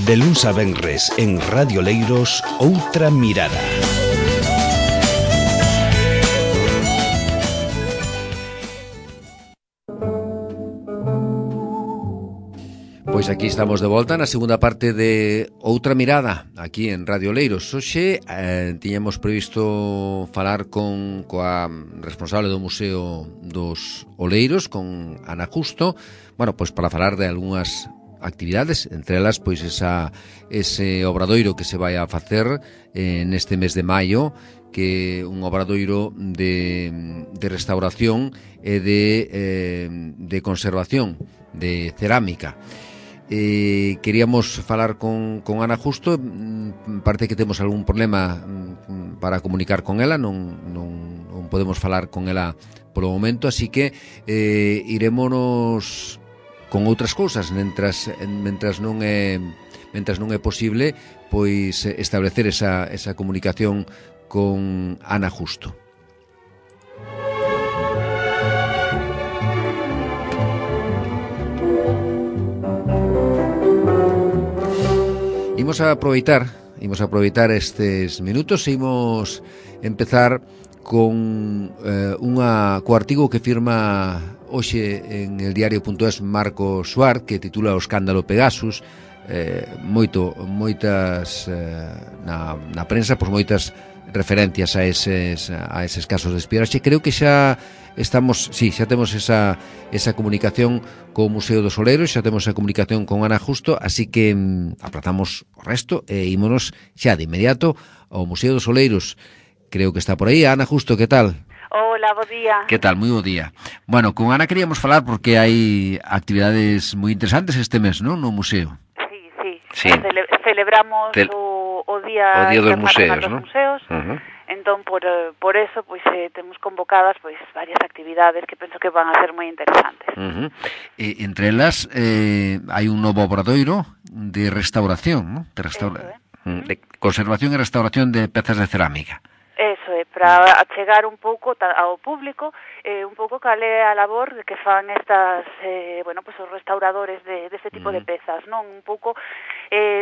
De luns a venres en Radio Leiros, Outra Mirada. Pois aquí estamos de volta na segunda parte de Outra Mirada, aquí en Radio Leiros. Hoxe tiñamos previsto falar coa responsable do Museo dos Oleiros, con Ana Justo, bueno, pois para falar de algunhas actividades, entre elas pois ese obradoiro que se vai a facer neste mes de maio, que é un obradoiro de restauración e de conservación de cerámica. Queríamos falar con Ana Justo. Parece que temos algún problema para comunicar con ela, non podemos falar con ela polo momento, así que irémonos con outras cousas mentras non é posible pois establecer esa comunicación con Ana Justo. Imos a aproveitar estes minutos e imos empezar con co artigo que firma hoxe en el diario.es Marco Suárez, que titula O escándalo Pegasus. Moitas na prensa, pois moitas referencias a eses casos de espionaxe. Creo que xa temos esa comunicación co Museo dos Oleiros, xa temos a comunicación con Ana Justo, así que aprazamos o resto e ímonos xa de inmediato ao Museo dos Oleiros. Creo que está por aí. Ana Justo, que tal? Hola, bo día. Que tal? Moi bo día. Bueno, con Ana queríamos falar porque hai actividades moi interesantes este mes, non? No museo. Sí. Celebramos o Día dos Museos, ¿no? Uh-huh. Entón, por eso, pois temos convocadas pois varias actividades que penso que van a ser moi interesantes. Uh-huh. Entre elas hai un novo obradoiro de restauración, ¿no? De conservación e restauración de pezas de cerámica. Eso é, para achegar un pouco ao público un pouco cal é a labor que fan estas, pues os restauradores deste tipo de pezas, non? Un pouco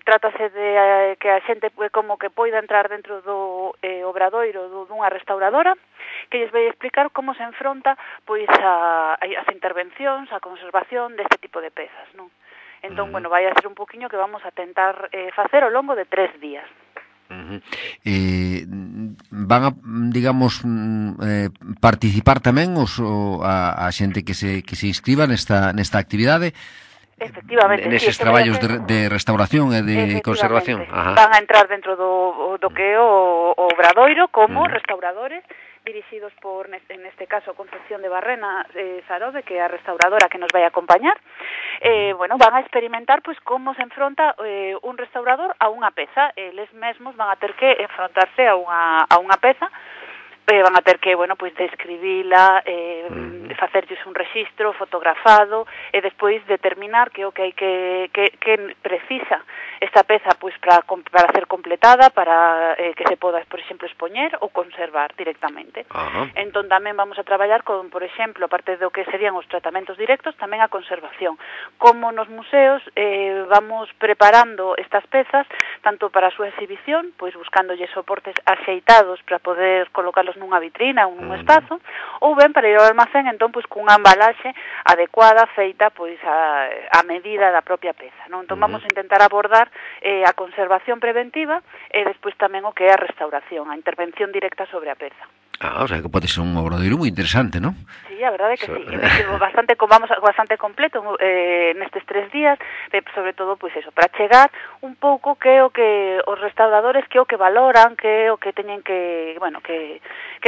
trátase de que a xente como que poida entrar dentro do obradoiro dunha restauradora que lles vai explicar como se enfronta pois as intervencións, a conservación deste tipo de pezas, non? Entón, vai a ser un poquinho que vamos a tentar facer ao longo de 3 días. Uh-huh. Van a, digamos, participar tamén a xente que se inscriba nesta actividade. Efectivamente, neses traballos de restauración e de conservación. Ajá. Van a entrar dentro do que é o obradoiro como restauradores dirixidos por, en este caso, Concepción de Barrena Sarode, que é a restauradora que nos vai a acompañar. Van a experimentar pois como se enfronta un restaurador a unha peza. Eles mesmos van a ter que enfrontarse a unha peza, van a ter que, pois describila, facerlles un rexistro fotografado e despois determinar que o que hai que precisa esta peza pois para ser completada, para que se poda, por exemplo, expoñer ou conservar directamente. Entón tamén vamos a traballar con, por exemplo, aparte do que serían os tratamentos directos, tamén a conservación. Como nos museos vamos preparando estas pezas tanto para a súa exhibición, pois buscándolle soportes axeitados para poder colocarlos nunha vitrina ou nun espazo, ou ben para ir ao almacén, entón, pois, cunha embalaxe adecuada, feita, pois, a medida da propia peza, non? Entón, vamos a intentar abordar a conservación preventiva e despois tamén o que é a restauración, a intervención directa sobre a peza. O sea, que pode ser un obradoiro moi interesante, non? Sí, a verdade que sí. Bastante completo nestes 3 días, sobre todo, pois eso, para chegar un pouco que é o que os restauradores que é o que valoran, que é o que teñen que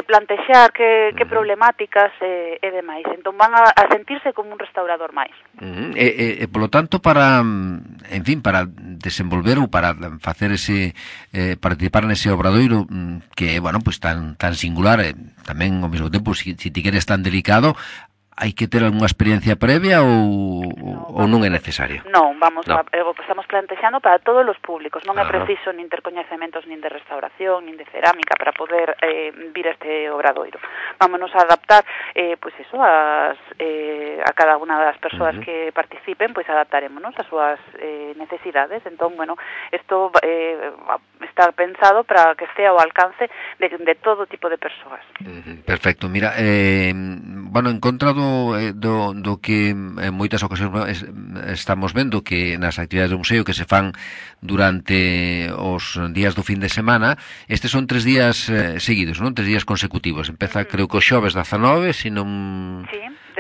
plantexar, que problemáticas e demais. Entón van a sentirse como un restaurador máis. Polo tanto, para desenvolver ou para facer participar nese obradoiro que é, pues tan singular, tamén ao mesmo tempo, si ti queres tan delicado, hai que ter algunha experiencia previa ou non é necesario? Non, estamos plantexando para todos os públicos, non é preciso nin ter coñecementos nin de restauración, nin de cerámica para poder vir a este obradoiro. Vámonos a adaptar, pois eso, a cada unha das persoas que participen, pois adaptarémonos as súas necesidades. Entón, bueno, isto está pensado para que estea ao alcance de todo tipo de persoas. Perfecto, mira, bueno, en contra do que en moitas ocasións estamos vendo que nas actividades do museo que se fan durante os días do fin de semana, estes son 3 días seguidos, non? 3 días consecutivos. Empeza, creo que o xoves 19, se non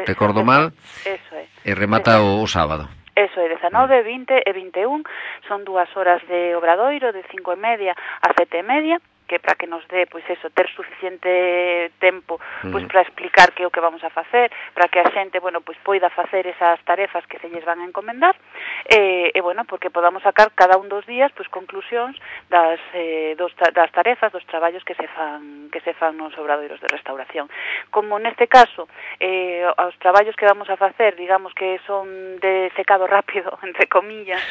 recordo mal, e remata o sábado. Eso é, 19, 20 e 21, son 2 horas de obradoiro, de 5:30 a 7:30, que para que nos dé, pois eso, ter suficiente tempo, pois para explicar que é o que vamos a facer, para que a xente, bueno, pois poida facer esas tarefas que se lles van a encomendar, e bueno, porque podamos sacar cada un dos días, pois conclusións das tarefas, dos traballos que se fan nos obradoiros de restauración. Como neste caso, os traballos que vamos a facer, digamos que son de secado rápido, entre comillas,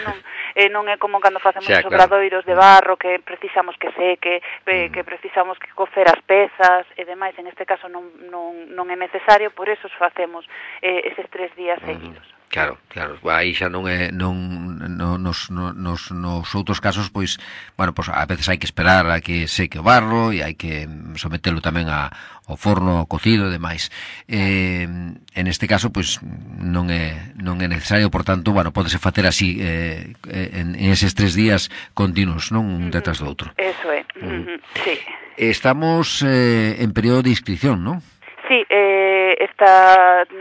non é como cando facemos os obradoiros de barro que precisamos que seque, que precisamos que cocer as pezas e demais. En este caso non é necesario, por eso facemos eses 3 días seguidos. Claro, aí xa non é nos outros casos, pois, bueno, pois a veces hai que esperar a que seque o barro e hai que sometelo tamén ao forno cocido e demais. En este caso, pois non é necesario, por tanto, bueno, pódese facer así en eses 3 días continuos, non un detrás do outro. Eso é. Sí. Estamos en período de inscripción, non? Sí,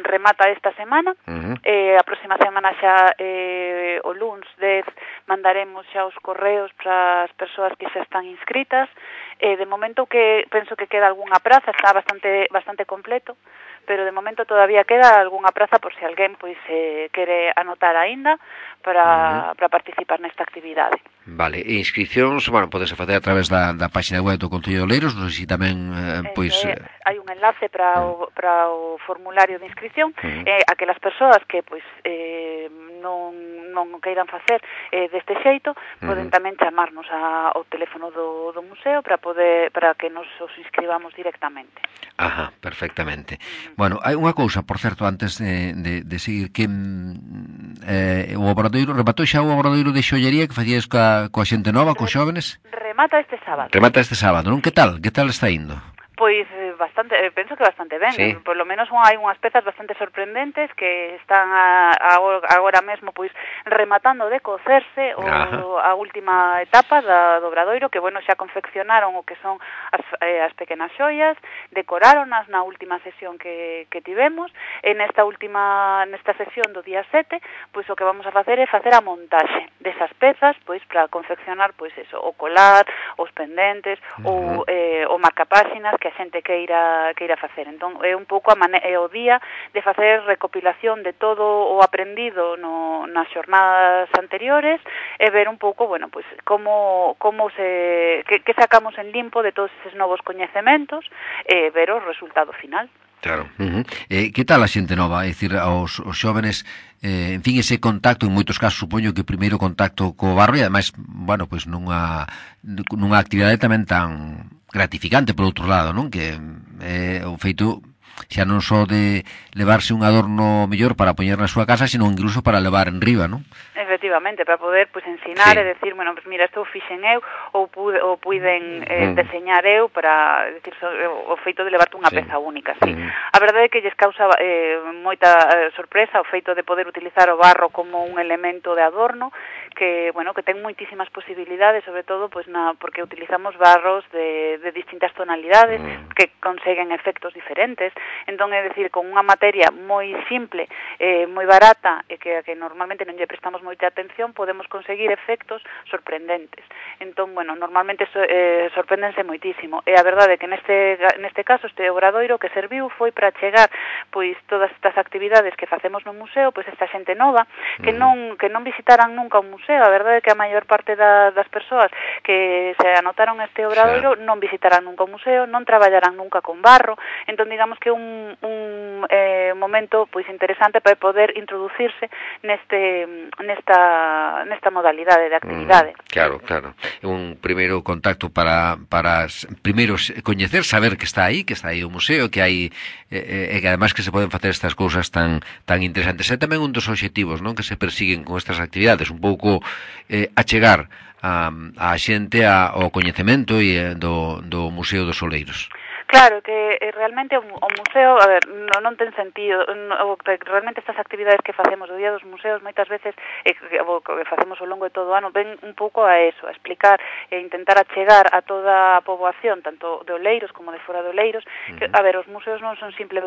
remata esta semana, a próxima semana xa o luns 10 mandaremos xa os correos para as persoas que xa están inscritas. De momento que penso que queda algunha praza, está bastante completo, pero de momento todavía queda algunha praza por se alguén pois quere anotar aínda para participar nesta actividade. Vale, e inscripcións, bueno, podese facer a través da página web do Concello de Oleiros, non sei se tamén, pois... hai un enlace para o formulario de inscripción, aquelas persoas que, pois, non queiran facer deste xeito, poden tamén chamarnos ao teléfono do museo para que nos os inscribamos directamente. Ajá, perfectamente. Bueno, hai unha cousa, por certo, antes de seguir, que o obradoiro, rematou xa o obradoiro de xollería que facías coa xente nova, cos xóvenes? Remata este sábado. Remata este sábado, non? Que tal está indo? Pois penso que bastante ben, sí. Por lo menos hai unhas pezas bastante sorprendentes que están agora mesmo pois rematando de cocerse a última etapa do obradoiro, que bueno, xa confeccionaron o que son as pequenas xoias, decoráronas na última sesión que tivemos, nesta sesión do día 7, pois o que vamos a facer é facer a montaxe desas pezas, pois para confeccionar pois eso, o colar, os pendentes, ou o marcapáxinas que a xente queira facer. Entón, é un pouco o día de facer recopilación de todo o aprendido nas xornadas anteriores e ver un pouco, bueno, pois que sacamos en limpo de todos eses novos coñecementos e ver o resultado final. Claro. Que tal a xente nova? É dicir, os xóvenes, en fin, ese contacto, en moitos casos, supoño que o primeiro contacto co barro e, ademais, bueno, pois nunha actividade tamén tan gratificante, por outro lado, non? Que o feito xa non só de levarse un adorno mellor para poñer na súa casa, sino incluso para levar en riba, non? Efectivamente, para poder pues ensinar e decir, bueno, pues mira, isto o fixen eu ou puiden deseñar eu para decir o feito de levarte unha peza única, sí. A verdade é que lles causa moita sorpresa o feito de poder utilizar o barro como un elemento de adorno que, bueno, que ten moitísimas posibilidades, sobre todo pues porque utilizamos barros de distintas tonalidades que conseguen efectos diferentes. Entón, é dicir, con unha materia moi simple, moi barata e que normalmente non lle prestamos moita atención, podemos conseguir efectos sorprendentes. Entón, bueno, normalmente sorpréndense moitísimo. E a verdade é que neste caso este obradoiro que serviu foi para chegar pois todas estas actividades que facemos no museo, pois esta xente nova que non visitaran nunca un museo. A verdade é que a maior parte das persoas que se anotaron este obradoiro non visitarán nunca un museo, non traballarán nunca con barro. Entón, digamos que que un momento pois interesante para poder introducirse nesta modalidade de actividade. Claro. Un primeiro contacto para primeiro coñecer, saber que está aí o museo, que hai e que además que se poden facer estas cousas tan interesantes. É tamén un dos obxectivos, non, que se persiguen con estas actividades, un pouco achegar a xente ao coñecemento do Museo dos Oleiros. Claro, que realmente o museo, a ver, non ten sentido, realmente estas actividades que facemos do Día dos Museos moitas veces, que facemos ao longo de todo o ano, ven un pouco a eso, a explicar e intentar achegar a toda a poboación, tanto de Oleiros como de fora de Oleiros, que, a ver, os museos non son simples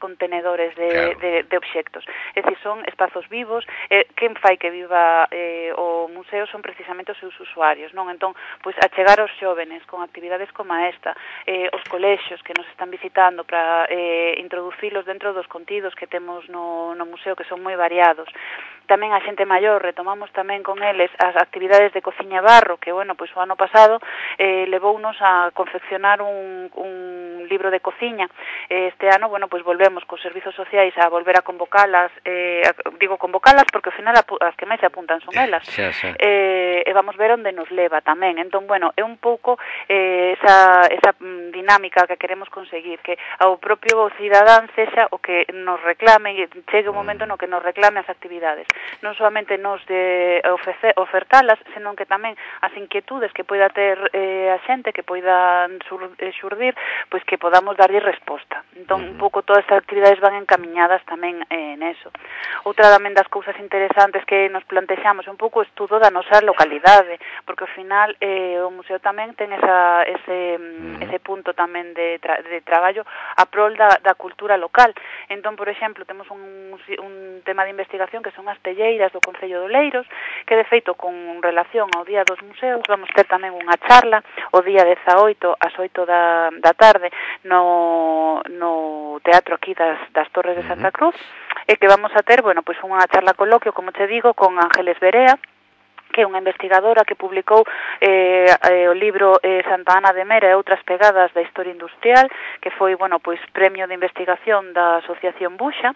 contenedores de obxectos, é dicir, son espazos vivos, quen fai que viva o museo son precisamente os seus usuarios, non? Entón, pois achegar aos xóvenes con actividades como esta, os colexios que nos están visitando para introducilos dentro dos contidos que temos no museo, que son moi variados. Tamén a xente maior, retomamos tamén con eles as actividades de cociña e barro, que, bueno, pois o ano pasado levounos a confeccionar un libro de cociña. Este ano, bueno, pois volvemos cos servizos sociais a volver a convocalas, digo convocalas porque ao final as que máis se apuntan son elas. E vamos ver onde nos leva tamén. Entón, bueno, é un pouco esa dinámica que queremos conseguir, que ao propio cidadán sexa o que nos reclame e chegue o momento no que nos reclame as actividades. Non solamente nos de ofertalas, senón que tamén as inquietudes que poida ter a xente, que poidan xurdir, pois que podamos darlle resposta. Entón, un pouco todas estas actividades van encamiñadas tamén neso. Outra tamén das cousas interesantes que nos plantexamos é un pouco o estudo da nosa localidade, porque ao final o museo tamén ten ese punto tamén de traballo a prol da cultura local. Entón, por exemplo, temos un tema de investigación que son as telleiras do Concello de Oleiros, que de feito con relación ao Día dos Museos vamos ter tamén unha charla o día 18 ás 8 da tarde no teatro aquí das Torres de Santa Cruz, e que vamos a ter, bueno, pois unha charla coloquio, como te digo, con Ángeles Berea, que é unha investigadora que publicou o libro Santa Ana de Mera e outras pegadas da historia industrial, que foi, bueno, pois premio de investigación da Asociación Buxa.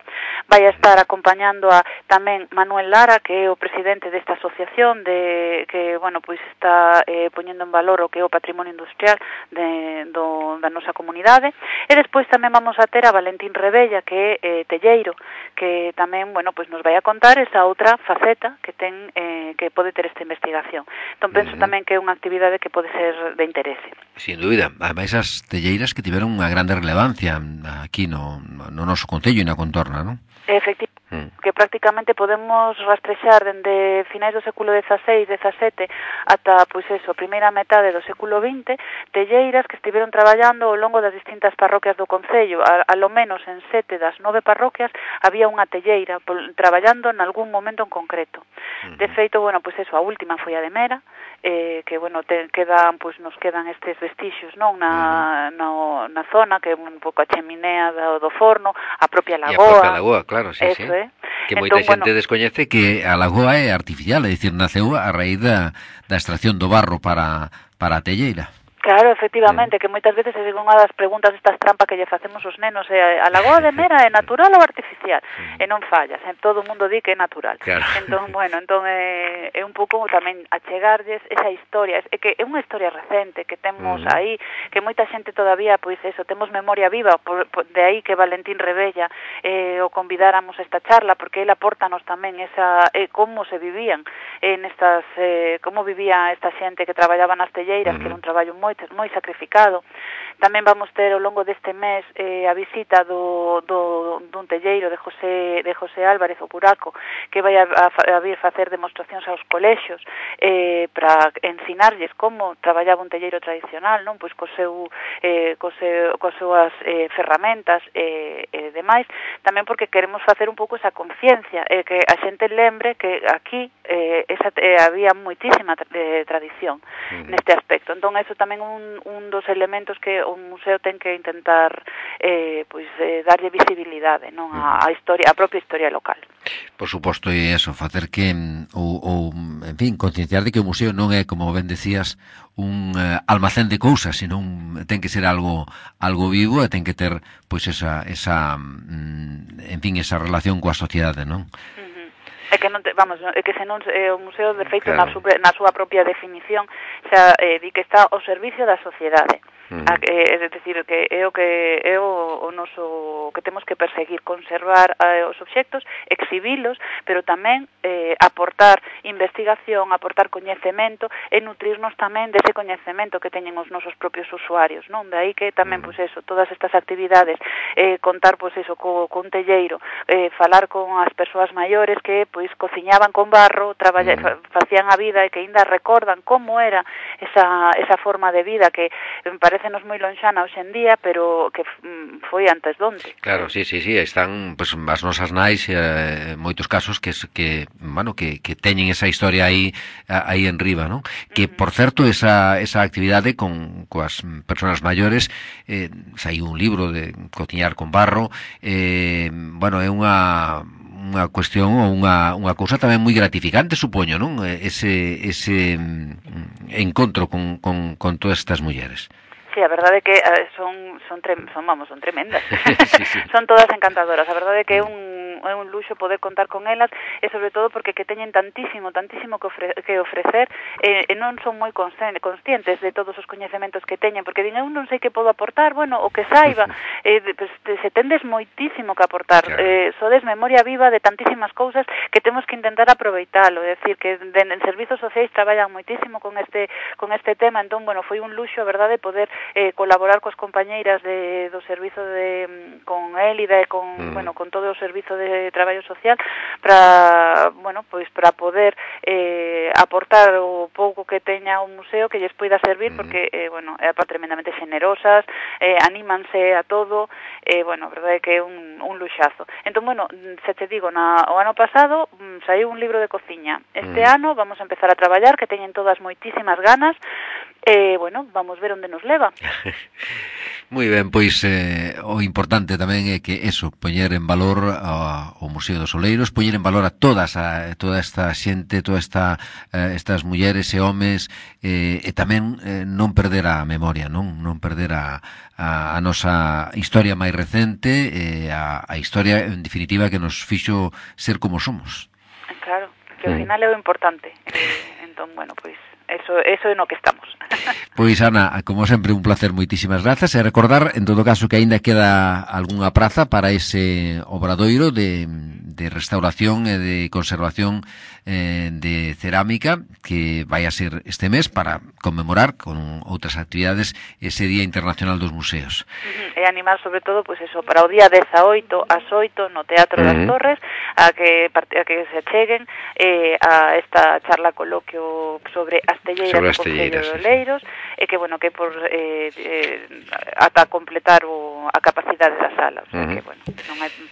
Vai a estar acompañando a tamén Manuel Lara, que é o presidente desta asociación que, bueno, pois está poñendo en valor o que é o patrimonio industrial da nosa comunidade. E despois tamén vamos a ter a Valentín Rebella, que é telleiro, que tamén, bueno, pois nos vai a contar esa outra faceta que ten que pode ter esta investigación. Entón penso tamén que é unha actividade que pode ser de interese. Sin dúbida. Ademais, as telleiras que tiveron unha grande relevancia aquí no noso concello e na contorna, non? Efectivamente, que prácticamente podemos rastrexar dende finais do século XVI, XVII ata, pois eso, primeira metade do século XX, telleiras que estiveron traballando ao longo das distintas parroquias do concello. A lo menos en 7 das 9 parroquias había unha telleira traballando en algún momento en concreto. De feito, bueno, pois eso, a última foi a de Mera, que, bueno, nos quedan estes vestixios, non, na zona, que é un pouco a cheminea do forno, a propia lagoa. E a propia lagoa, claro, sí, eso, sí. Que moita xente descoñece que a lagoa é artificial, é dicir, naceu a raíz da extracción do barro para a telleira. Claro, efectivamente, que moitas veces é unha das preguntas estas trampas que lle facemos os nenos, a lagoa de Mera é natural ou artificial? E non fallas, todo o mundo di que é natural. Claro. Entón, bueno, é un pouco tamén achegarlles esa historia, é que é unha historia recente que temos aí, que moita xente todavía, pois eso, temos memoria viva, de aí que Valentín Rebella o convidáramos a esta charla, porque ele apórtanos tamén esa como se vivían nestas, como vivía esta xente que traballaba nas telleiras, que era un traballo moi sacrificado. Tamén vamos ter ao longo deste mes a visita dun telleiro de José Álvarez, o Buraco, que vai a vir facer demostracións aos colexios para ensinarlles como traballaba un telleiro tradicional, non, pois coas súas ferramentas e demais, tamén porque queremos facer un pouco esa conciencia, que a xente lembre que aquí había moitísima tradición neste aspecto. Entón, eso tamén un dos elementos que un museo ten que intentar darlle visibilidade, non, a historia, a propia historia local. Por suposto, e eso, facer que ou en fin, concienciar de que o museo non é, como ben decías, un almacén de cousas, senón ten que ser algo vivo e ten que ter pois esa en fin, esa relación coa sociedade, non? É que non é que senón o museo de feito claro. na súa propia definición xa di que está ao servicio da sociedade. É dicir, que é o noso que temos que perseguir, conservar os obxectos, exhibilos, pero tamén aportar investigación, aportar coñecemento e nutrirnos tamén dese coñecemento que teñen os nosos propios usuarios, non? De aí que tamén, pois eso, todas estas actividades, contar, pois eso, con telleiro, falar con as persoas maiores que, pois, cociñaban con barro, facían a vida e que aínda recordan como era esa forma de vida que parécenos moi lonxana hoxe en día, pero que foi antes donde. Claro, sí, están pues, as nosas nais moitos casos que teñen esa historia aí en riba, non? Que, por certo, esa actividade coas persoas maiores, saiu un libro de cociñar con barro, é unha cuestión ou unha cousa tamén moi gratificante, supoño, non? Ese encontro con todas estas mulleres. Sí, a verdade é que son tremendas. Sí. Son todas encantadoras. A verdade é que é un luxo poder contar con elas e sobre todo porque que teñen tantísimo que ofrecer e non son moi conscientes de todos os coñecementos que teñen, porque din, eu non sei que podo aportar, bueno, o que saiba, pues, se tendes moitísimo que aportar, claro. Sodes memoria viva de tantísimas cousas que temos que intentar aproveitalo, é dicir, que en servizos sociais traballan moitísimo con este tema, entón, bueno, foi un luxo, a verdade, poder colaborar coas compañeiras do servizo con Élida e con todo o servizo de traballo social para poder aportar o pouco que teña o museo que lles poida servir porque é tremendamente generosas, anímanse a todo, a verdade é que é un luxazo. Entón, se te digo, o ano pasado saiu un libro de cociña. Este ano vamos a empezar a traballar, que teñen todas moitísimas ganas. Vamos ver onde nos leva. Moi ben, pois o importante tamén é que eso, poñer en valor o Museo dos Oleiros, poñer en valor a toda esta xente, estas mulleres e homes, e tamén non perder a memoria, non perder a nosa historia máis recente, a historia en definitiva que nos fixo ser como somos. Claro, que ao final é o importante. Entón, pois eso é no que estamos. Pois, Ana, como sempre, un placer, moitísimas grazas, e recordar, en todo caso, que aínda queda algunha praza para ese obradoiro de restauración e de conservación de cerámica que vai a ser este mes para conmemorar con outras actividades ese Día Internacional dos Museos. E animar, sobre todo, pois eso, para o día 18 ás 8 no Teatro das Torres a que se acheguen a esta charla coloquio sobre as telleiras do Concello de Oleiros e que, que por ata completar a capacidade da sala, o sea que,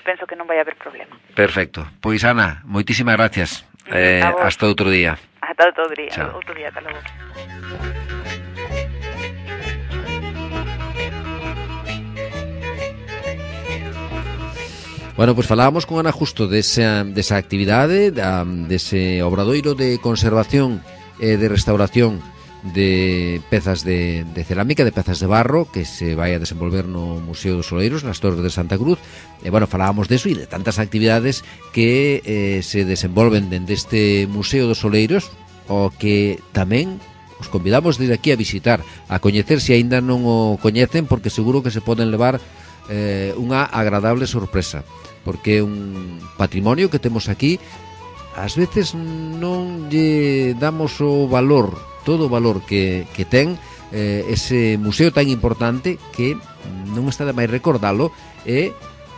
penso que non vai haber problema. Perfecto. Pois, Ana, moitísimas gracias. Hasta outro día. Hasta outro día. Chao. Outro día, hasta logo. Bueno, pues falábamos con Ana justo desa actividade, dese obradoiro de conservación e de restauración de pezas de cerámica, de pezas de barro que se vai a desenvolver no Museo dos Oleiros, nas Torres de Santa Cruz. E, falábamos deso e de tantas actividades que se desenvolven dende este Museo dos Oleiros, o que tamén os convidamos desde aquí a visitar, a coñecer se aínda non o coñecen, porque seguro que se poden levar unha agradable sorpresa, porque é un patrimonio que temos aquí. Ás veces non lle damos o valor, todo o valor que ten ese museo tan importante, que non está de máis recordalo, é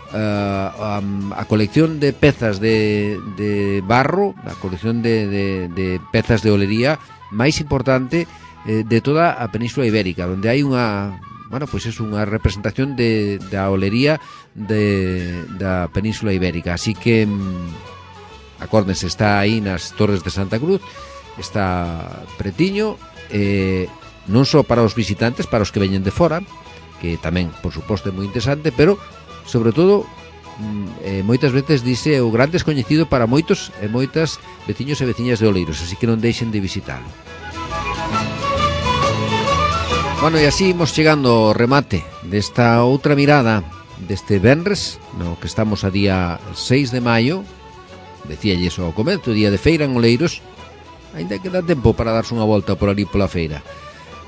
a colección de pezas de barro, a colección de pezas de olería máis importante de toda a Península Ibérica, onde hai unha unha representación da olería da Península Ibérica. Así que acórdense, está aí nas Torres de Santa Cruz, está pretiño, non só para os visitantes, para os que veñen de fora, que tamén, por suposto, é moi interesante, pero, sobre todo, moitas veces dice o gran descoñecido para moitos e moitas veciños e veciñas de Oleiros, así que non deixen de visitalo. Bueno, e así imos chegando ao remate desta outra mirada deste venres, no que estamos a día 6 de maio, decíalles ao comezo, día de feira en Oleiros, ainda que dá tempo para darse unha volta por ali pola feira.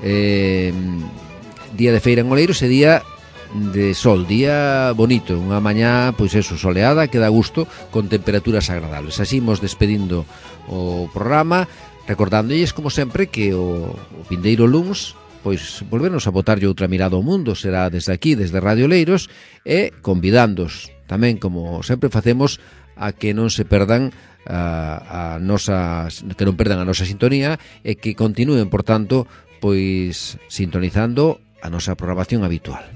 Día de feira en Oleiros e día de sol, día bonito, unha mañá, pois eso, soleada, que dá gusto, con temperaturas agradables. Así imos despedindo o programa, recordándolles, como sempre, que o vindeiro luns, pois volvernos a botarlle outra mirada ao mundo, será desde aquí, desde Radio Oleiros, e convidándos tamén, como sempre facemos, a que non se perdan a nosa, que non perdan a nosa sintonía e que continúen, por tanto, pois sintonizando a nosa programación habitual.